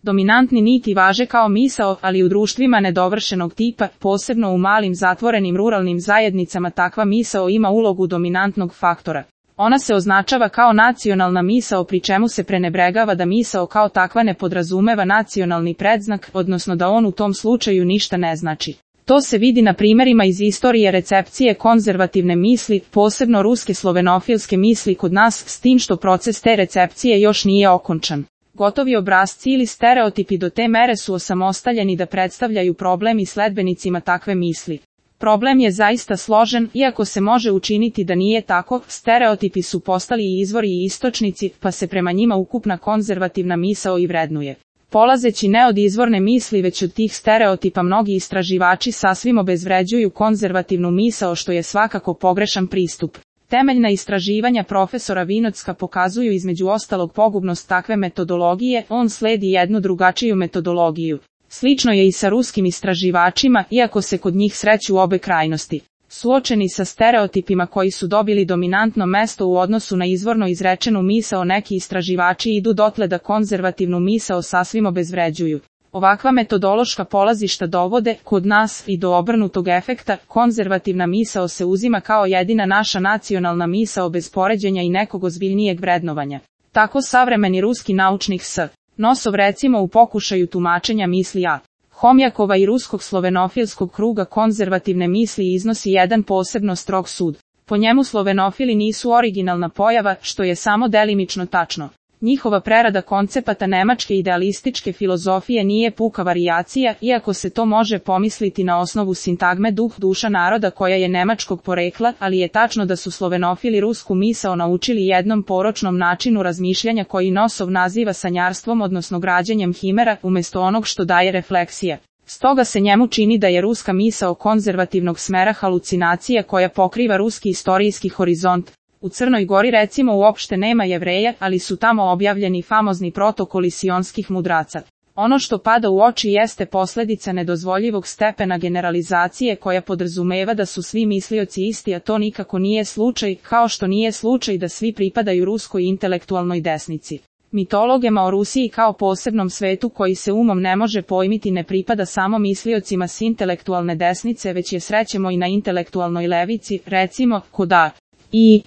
Dominantni niti važe kao misao, ali u društvima nedovršenog tipa, posebno u malim zatvorenim ruralnim zajednicama, takva misao ima ulogu dominantnog faktora. Ona se označava kao nacionalna misao, pri čemu se prenebregava da misao kao takva ne podrazumeva nacionalni predznak, odnosno da on u tom slučaju ništa ne znači. To se vidi na primjerima iz istorije recepcije konzervativne misli, posebno ruske slovenofilske misli kod nas, s tim što proces te recepcije još nije okončan. Gotovi obrasci ili stereotipi do te mere su osamostaljeni da predstavljaju problem i sledbenicima takve misli. Problem je zaista složen, iako se može učiniti da nije tako, stereotipi su postali i izvori i istočnici, pa se prema njima ukupna konzervativna misao i vrednuje. Polazeći ne od izvorne misli već od tih stereotipa, mnogi istraživači sasvim obezvređuju konzervativnu misao, što je svakako pogrešan pristup. Temeljna istraživanja profesora Vinocka pokazuju između ostalog pogubnost takve metodologije, on sledi jednu drugačiju metodologiju. Slično je i sa ruskim istraživačima, iako se kod njih sreću obe krajnosti. Suočeni sa stereotipima koji su dobili dominantno mesto u odnosu na izvorno izrečenu misao, neki istraživači idu dotle da konzervativnu misao sasvim obezvređuju. Ovakva metodološka polazišta dovode, kod nas, i do obrnutog efekta. Konzervativna misao se uzima kao jedina naša nacionalna misao bez poređenja i nekog ozbiljnijeg vrednovanja. Tako savremeni ruski naučnik S. Nosov recimo u pokušaju tumačenja misli A. Homjakova i ruskog slovenofilskog kruga konzervativne misli iznosi jedan posebno strog sud. Po njemu slovenofili nisu originalna pojava, što je samo delimično tačno. Njihova prerada koncepata nemačke idealističke filozofije nije puka varijacija, iako se to može pomisliti na osnovu sintagme duh duša naroda koja je nemačkog porekla, ali je tačno da su slovenofili rusku misao naučili jednom poročnom načinu razmišljanja koji Nosov naziva sanjarstvom, odnosno građenjem himera, umjesto onog što daje refleksija. Stoga se njemu čini da je ruska misao konzervativnog smera halucinacija koja pokriva ruski istorijski horizont. U Crnoj Gori recimo uopšte nema Jevreja, ali su tamo objavljeni famozni protokoli sionskih mudraca. Ono što pada u oči jeste posljedica nedozvoljivog stepena generalizacije koja podrazumeva da su svi mislioci isti, a to nikako nije slučaj, kao što nije slučaj da svi pripadaju ruskoj intelektualnoj desnici. Mitologema o Rusiji kao posebnom svetu koji se umom ne može pojmiti ne pripada samo misliocima s intelektualne desnice, već je srećemo i na intelektualnoj levici, recimo, kod A. i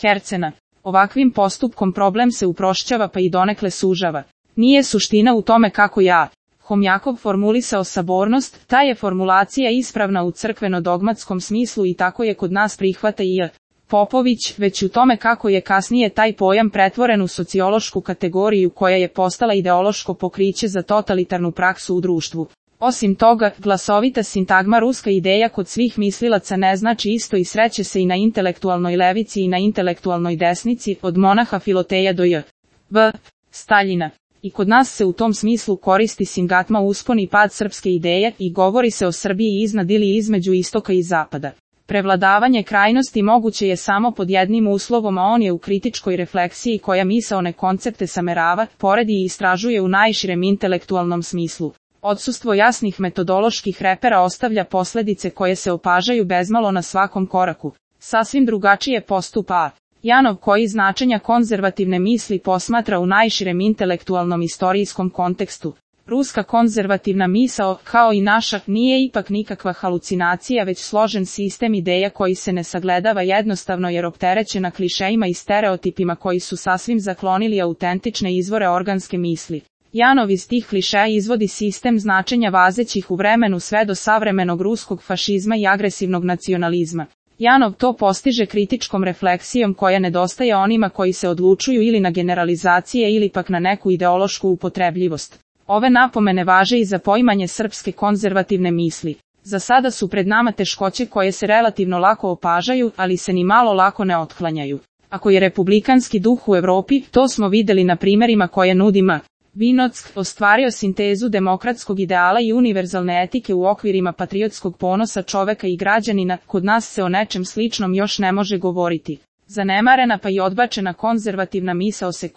Hercena. Ovakvim postupkom problem se uprošćava pa i donekle sužava. Nije suština u tome kako je A. Homjakov formulisao sabornost, ta je formulacija ispravna u crkveno-dogmatskom smislu i tako je kod nas prihvata i J. Popović, već u tome kako je kasnije taj pojam pretvoren u sociološku kategoriju koja je postala ideološko pokriće za totalitarnu praksu u društvu. Osim toga, glasovita sintagma ruska ideja kod svih mislilaca ne znači isto i sreće se i na intelektualnoj levici i na intelektualnoj desnici, od monaha Filoteja do J.V. Staljina. I kod nas se u tom smislu koristi sintagma uspon i pad srpske ideje i govori se o Srbiji iznad ili između istoka i zapada. Prevladavanje krajnosti moguće je samo pod jednim uslovom, a on je u kritičkoj refleksiji koja misaone koncepte samerava, poredi i istražuje u najširem intelektualnom smislu. Odsustvo jasnih metodoloških repera ostavlja posljedice koje se opažaju bezmalo na svakom koraku. Sasvim drugačije postupa A. Janov koji značenja konzervativne misli posmatra u najširem intelektualnom istorijskom kontekstu. Ruska konzervativna misao, kao i naša, nije ipak nikakva halucinacija već složen sistem ideja koji se ne sagledava jednostavno jer opterećena klišejima i stereotipima koji su sasvim zaklonili autentične izvore organske misli. Janov iz tih klišeja izvodi sistem značenja vazećih u vremenu sve do savremenog ruskog fašizma i agresivnog nacionalizma. Janov to postiže kritičkom refleksijom koja nedostaje onima koji se odlučuju ili na generalizacije ili pak na neku ideološku upotrebljivost. Ove napomene važe i za poimanje srpske konzervativne misli. Za sada su pred nama teškoće koje se relativno lako opažaju, ali se ni malo lako ne otklanjaju. Ako je republikanski duh u Evropi, to smo vidjeli na primjerima koje nudi M. Vinock, ostvario sintezu demokratskog ideala i univerzalne etike u okvirima patriotskog ponosa čoveka i građanina, kod nas se o nečem sličnom još ne može govoriti. Zanemarena pa i odbačena konzervativna misao se